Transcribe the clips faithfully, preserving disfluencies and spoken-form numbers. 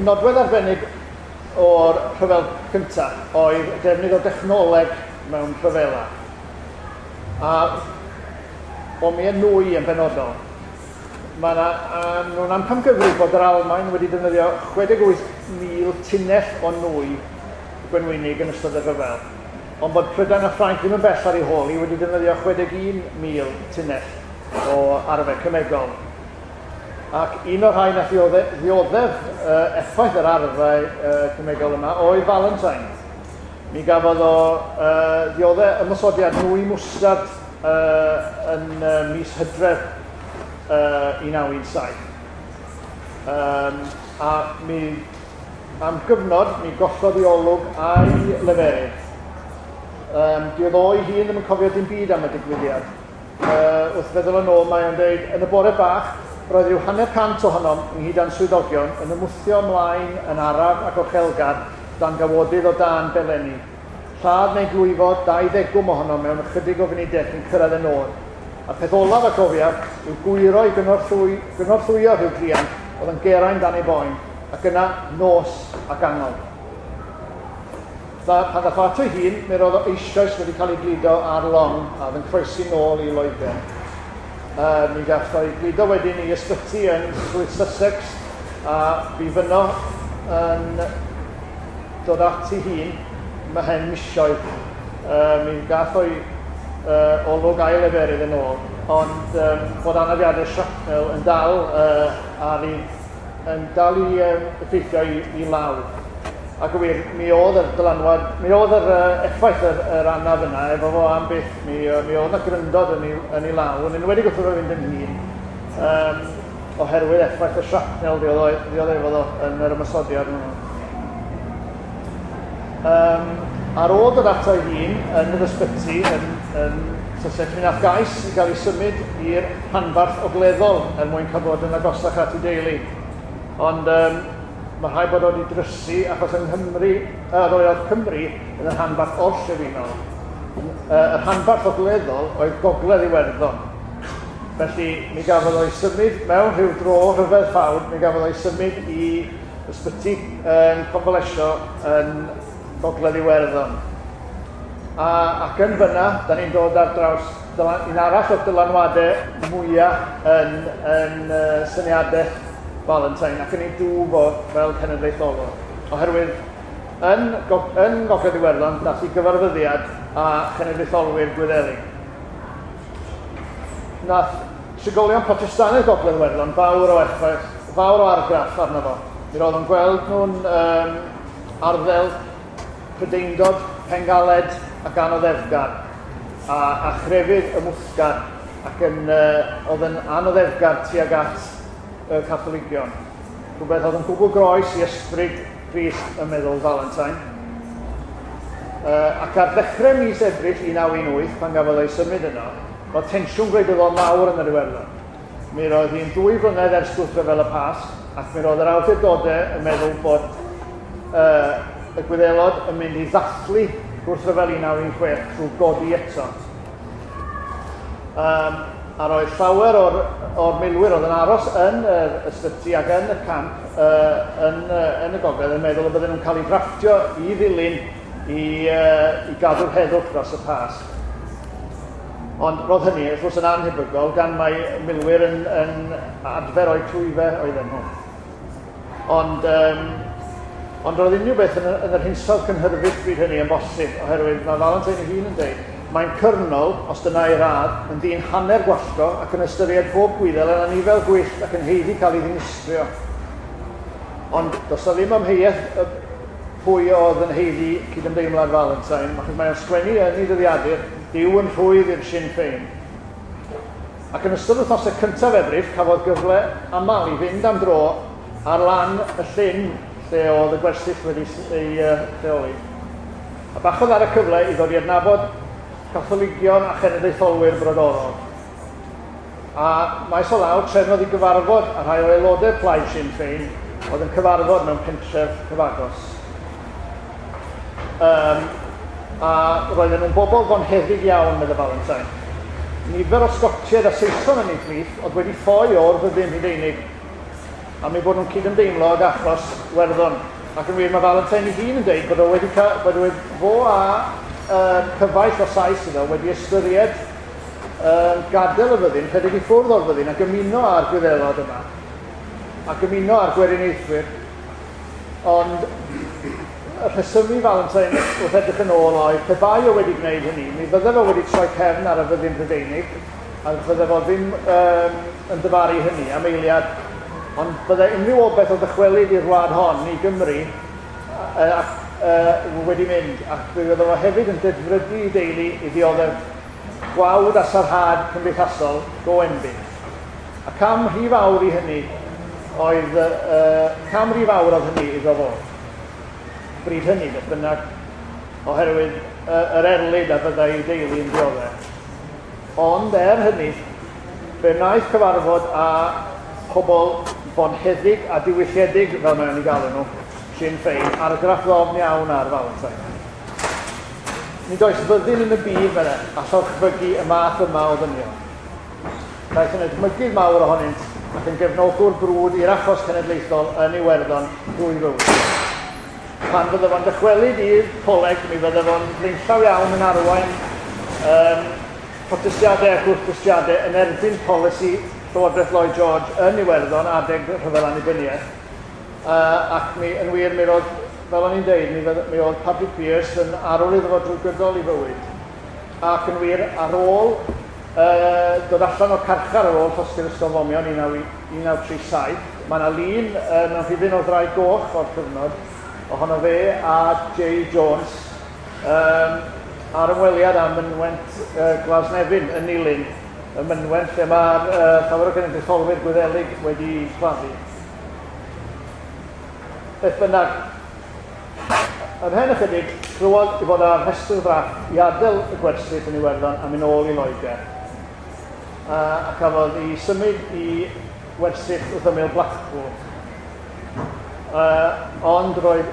Nodwedd arbennig o'r rhyfel cyntaf oedd defnydd o dechnoleg mewn rhyfela. A bomiau nwy yn benodol. Mae yna, nhw'n amcangyfrif bod yr Almaen wedi defnyddio chwe deg wyth mil tunnell o nwy gwenwynig yn ystod y rhyfel, ond bod Prydain a Ffrainc ddim yn bell ar ei hôl hi wedi defnyddio chwe deg un mil tunnell o arfau cemegol. Ac un o'r rhai nath ddioddef uh, effaith yr arfau uh, cemegol yma oedd Valentine. Mi gafodd o uh, ddioddef ymosodiad nwy mwstard uh, yn uh, mis Hydref uh, un naw un saith. Um, a mi, am gyfnod, mi gollodd ei olwg a'i leferydd. Um, Diodd o'i hun ddim yn cofio dim byd am y digwyddiad. Uh, wrth feddwl yn ôl, mae o'n dweud, yn y bore bach, roedd rhyw hanner cant ohonom ynghyd â'n swyddogion yn ymwthio ymlaen yn araf ac ochelgar dan gawodydd o dan belenni. Lladd neu glwyfo dau ddegwm ohonom mewn ychydig o funudau cyn cyrraedd y nod. A'r peth olaf a gofiaf yw gwyro i gynorthwy, gynorthwyo rhyw druan oedd yn gerain dan ei boen, ac yna nos ac angol. Pan ddath o ato ei hun, mi roedd o eisoes wedi cael ei gludo ar long a oedd yn croesi nôl i Loegr. Uh, mi gath o'i gludo wedyn i ysbyty yn Swydd Sussex a bu fyno yn dod at ei hun ymhen misoedd. Uh, mi gath o'i uh, olwg a'i leferydd yn ôl, ond um, bod anafiadau shrapnel yn dal, uh, ar ei, yn dal i um, effeithio i, i lawr. Ac yn wir, mi oedd yr dylanwad, mi oedd yr uh, effaith yr, yr anaf yna efo fo am byth, mi, uh, mi oedd yna gryndod yn ei, yn ei law, yn enwedig wrth iddo fynd yn hŷn, um, oherwydd effaith y shrapnel ddioddefodd o yn yr ymosodiad hwnnw. Um, ar ôl dod ato ei hun yn yr ysbyty yn, yn Sussex, mi nath gais i gael ei symud i'r rhanbarth ogleddol er mwyn cael bod yn agosach at ei deulu. Ond um, mae rhaid bod o wedi drysu achos yng Nghymru, uh, roedd Cymru yn y rhanbarth orllewinol. Uh, y rhanbarth ogleddol oedd Gogledd Iwerddon. Felly mi gafodd o'i symud mewn rhyw dro rhyfedd ffawd, mi gafodd o'i symud i ysbyty yn convalesio yn Gogledd Iwerddon. A, ac yn fyna, da ni'n dod ar draws dylan, un arall o'r dylanwadau mwyaf yn, yn uh, syniadaeth Valentine ac yn ei dwf o fel cenedlaetholwr. Oherwydd yn, yn Gogledd Iwerddon dath i gyfarfyddiad a chenedlaetholwyr Gwyddelig. Nath trigolion Protestannaidd Gogledd Iwerddon fawr o effaith, fawr o argraff arno fo. Mi roedd o'n gweld nhw'n um, arddel Prydeindod, pengaled ac anoddefgar, a, a chrefydd ymwthgar ac yn, uh, oedd yn anoddefgar tuag at y Catholigion. Rhywbeth oedd yn gwbl groes i ysbryd Crist y meddwl Valentine. Uh, ac ar ddechrau mis Ebrill un naw un wyth, pan gafodd ei symud yno, roedd tensiwn gwleidyddol mawr yn yr Iwerddon. Mi roedd hi'n dwy flynedd ers gwrthryfel y Pasg, ac mi roedd yr awdurdodau yn meddwl bod uh, y Gwyddelod yn mynd i ddathlu gwrthryfel un naw un chwech trwy godi eto. Um, a roedd llawer o'r, o'r milwyr oedd yn aros yn yr ysbyty ac yn y camp uh, yn, uh, yn y gogledd yn meddwl y bydden nhw'n cael eu drafftio i ddilyn i, uh, i gadw'r heddwch dros y Pasg. Ond roedd hynny wrth gwrs yn anhebygol gan mai milwyr yn, yn adfer o'u clwyfau oedden nhw. Ond, um, ond roedd unrhyw beth yn, yn yr hinsawdd cynhyrfus bryd hynny yn bosib, oherwydd mae Valentine ei hun yn dweud, mae'n cyrnol, os dyna ei radd, yn ddyn hanner gwallgo ac yn ystyried pob gwyddel yn anifel gwyllt ac yn haeddu cael ei ddinistrio. Ond does na ddim amheuaeth pwy oedd yn haeddu cydymdeimlad Valentine, achos mae'n sgwennu yn ei ddyddiadur, Duw yn rhwydd i'r Sinn Féin. Ac yn ystod wythnosau cyntaf Ebrill, cafodd gyfle aml i fynd am dro ar lan y llyn lle oedd y gwersyll wedi ei uh, lleoli. A bachodd ar y cyfle i ddod i adnabod Catholigion a chenedlaetholwyr brodorol. A maes o law trefnodd i gyfarfod a rhai o aelodau plaid Sinn Féin oedd yn cyfarfod mewn pentref cyfagos. Um, a roedden nhw'n bobl fonheddig iawn, medde Valentine. Nifer o Sgotiaid a Saeson yn eu plith oedd wedi ffoi o'r fyddin Rhufeinig. am eu bod nhw'n cydymdeimlo ag achos Werddon. Ac yn wir, mae Valentine ei hun yn dweud bod o wedi ca- bod o fo a uh, cyfaill o Sais iddo wedi ystyried uh, gadael y fyddin, rhedeg i ffwrdd o'r fyddin ac ymuno â'r Gwyddelod yma, ac ymuno â'r Gweriniaethwyr. Ond y rhesymu Valentine wrth edrych yn ôl oedd, pe bai o wedi gwneud hynny, mi fydde fo wedi troi cefn ar y fyddin Brydeinig, a fydde fo ddim um, yn dyfaru hynny am eiliad, ond bydde unrhyw obaith o ddychwelyd i'r wlad hon, i Gymru, uh, uh, wedi mynd, ac fe fydde fo hefyd yn dedfrydu i deulu i ddioddef gwawd a sarhad cymdeithasol go enbyd. A cam rhy fawr i hynny oedd, uh, cam rhy fawr oedd hynny iddo fo. Bryd hynny, beth bynnag, oherwydd uh, yr erlid a fyddai ei deulu yn dioddef. Ond er hynny, fe wnaeth cyfarfod â pobl bonheddig a diwylliedig, fel mae'n ei galw nhw, Sinn Féin, argraff ddofn iawn ar Valentine. Nid oes fyddin yn y byd fel e, all orchfygu y math yma o ddynion. Daeth yn edmygydd mawr ohonynt ac yn gefnogwr brwd i'r achos cenedlaethol yn Iwerddon drwy fywyd. Pan fydde fo'n dychwelyd i'r coleg, mi fydde fo'n flaenllaw iawn yn arwain um, protestiadau a gwrthdystiadau yn erbyn polisi Llywodraeth Lloyd George yn Iwerddon adeg rhyfel annibyniaeth. Uh, ac mi, yn wir, mi roedd, fel o'n i'n deud, mi, mi oedd Patrick Pearse yn arwr iddo fo drwy gydol ei fywyd. Ac yn wir, ar ôl uh, dod allan o'r carchar ar ôl llosgi'r ysgol fomio yn un naw tri saith, mae yna lun uh, mewn rhifyn o'r Ddraig Goch o'r cyfnod, ohono fe a Jay Jones um, ar ymweliad â mynwent uh, Glasnevin yn Nilyn, y mynwent lle mae'r uh, llawer o genedlaetholwyr Gwyddelig wedi claddu. Beth bynnag, ymhen ychydig, clywodd i fod ar rhestr ddrafft i adael y gwersyll yn Iwerddon a mynd ôl i Loegr. Uh, a cafodd ei symud i wersyll wrth ymyl Blackpool. Uh, ond roedd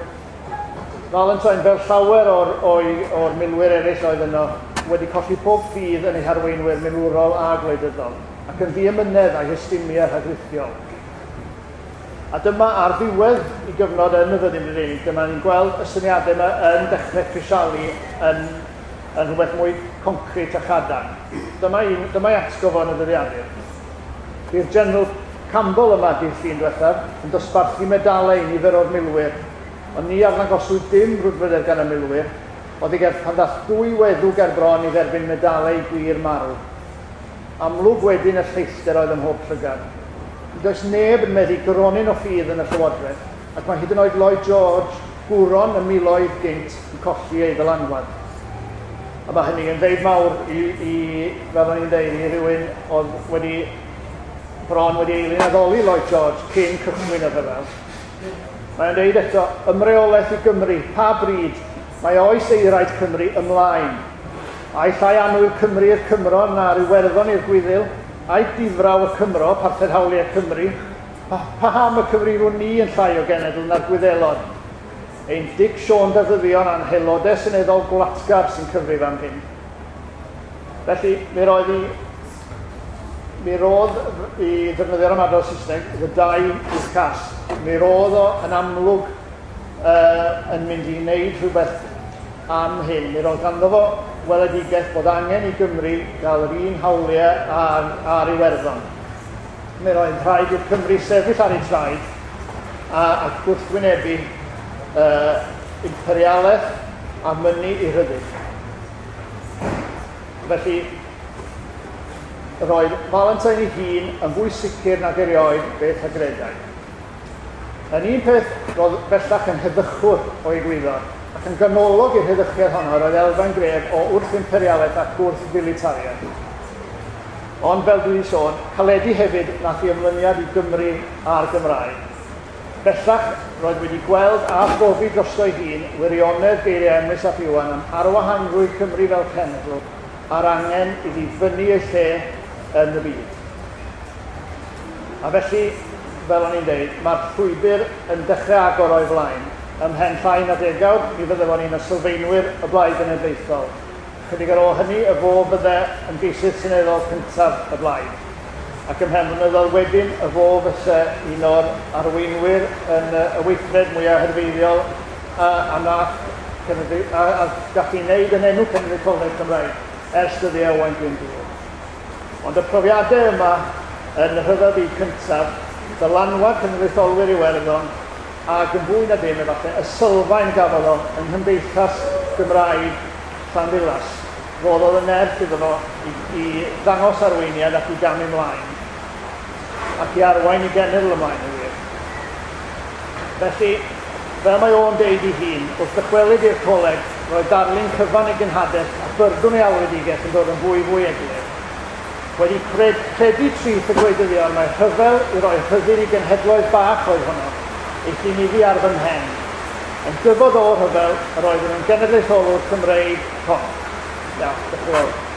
Valentine, fel llawer o'r, o'i, o'r milwyr eraill oedd yno, wedi colli pob ffydd yn ei harweinwyr milwrol a gwleidyddol, ac yn ddiamynedd a'i hystumiau rhagrithiol. A dyma ar ddiwedd i gyfnod yn y fyddin Brydeinig, dyma ni'n gweld y syniadau yma yn dechrau crisialu yn, yn rhywbeth mwy concret a chadarn. Dyma, un, dyma ei atgof yn y dyddiadur. Bu'r General Campbell yma dydd Llun diwethaf yn dosbarthu medalau i nifer o'r milwyr, ond ni arddangoswyd dim brwdfrydedd gan y milwyr, oedd i gerdd pan ddath dwy weddw ger bron i dderbyn medalau gwir marw. Amlwg wedyn y lleithder oedd ym mhob llygad. Nid oes neb yn meddu gronyn o ffydd yn y Llywodraeth, ac mae hyd yn oed Lloyd George, gwron y miloedd gynt, yn colli ei ddylanwad. A mae hynny yn ddeud mawr i, i fel o'n i'n deud, i rhywun oedd wedi bron wedi eilun addoli Lloyd George cyn cychwyn y rhyfel. Mae'n deud eto, ymreolaeth i Gymru, pa bryd mae oes eiraid Cymru ymlaen. Ai llai annwyl Cymru i'r Cymro na'r Iwerddon i'r Gwyddil, ai difraw y Cymro, parthed hawliau Cymru, pa, paham y cyfrifwn ni yn llai o genedl na'r Gwyddelod? Ein Dic Siôn Dafyddion a'n haelodau seneddol gwlatgar sy'n cyfrif am hyn. Felly, mi roedd i, mi roedd i ddefnyddio'r ymadrodd Saesneg, the die is cast. Mi roedd o yn amlwg uh, yn mynd i wneud rhywbeth am hyn. Mi roedd ganddo fo weledigaeth bod angen i Gymru gael yr un hawliau ar, ar Iwerddon. Mi roedd rhaid i'r Cymru sefyll ar ei traed a, a gwrthwynebu uh, imperialaeth a mynnu i rhyddid. Felly, roedd Valentine ei hun yn fwy sicr nag erioed beth a gredai. Yn un peth, roedd bellach yn heddychwr o egwyddor, ac yn ganolog i'r heddychiad honno roedd elfen gref o wrth-imperialaeth ac wrth-filitariaeth. Ond fel dwi wedi sôn, caledu hefyd nath i ymlyniad i Gymru a'r Gymraeg. Bellach roedd wedi gweld a phrofi drosto'i hun wirionedd geiriau Emrys ap Iwan am arwahanrwydd Cymru fel cenedl a'r angen iddi fyny ei lle yn y byd. A felly, fel o'n i'n deud, mae'r llwybr yn dechrau agor o'i flaen. Ymhen llai na degawd, mi fydde fo'n un o sylfaenwyr y Blaid Genedlaethol. Chydig ar ôl hynny, y fo fydde ymgeisydd seneddol cyntaf y Blaid. Ac ymhen blynyddoedd wedyn, y fo fysa un o'r arweinwyr yn y weithred mwyaf herfeiddiol a, a nath a, a gallu wneud yn enw cenedlaetholedd Cymraeg ers dyddiau Owain Glyndŵr. Ond y profiadau yma yn y Rhyfel Byd Cyntaf, dylanwad cenedlaetholwyr Iwerddon, ac yn fwy na dim efallai, y sylfaen gafodd o yng Nghymdeithas Gymraeg Llanddulas, roddodd y nerth iddo fo i, i ddangos arweiniad ac i gamu ymlaen, ac i arwain i genedl ymlaen yn wir. Felly, fel mae o'n deud ei hun, wrth ddychwelyd i'r coleg, roedd darlun cyfan ei genhadaeth a byrdwn ei alwedigaeth yn dod yn fwy fwy eglur. Wedi cred, credu trith y gwleidyddion mae rhyfel i roi rhyddid i genhedloedd bach oedd honno, euthum iddi ar fy mhen. Yn dyfod o'r rhyfel, yr oeddwn yn genedlaetholwr Cymreig rhonc. Iawn, diolch yn fawr.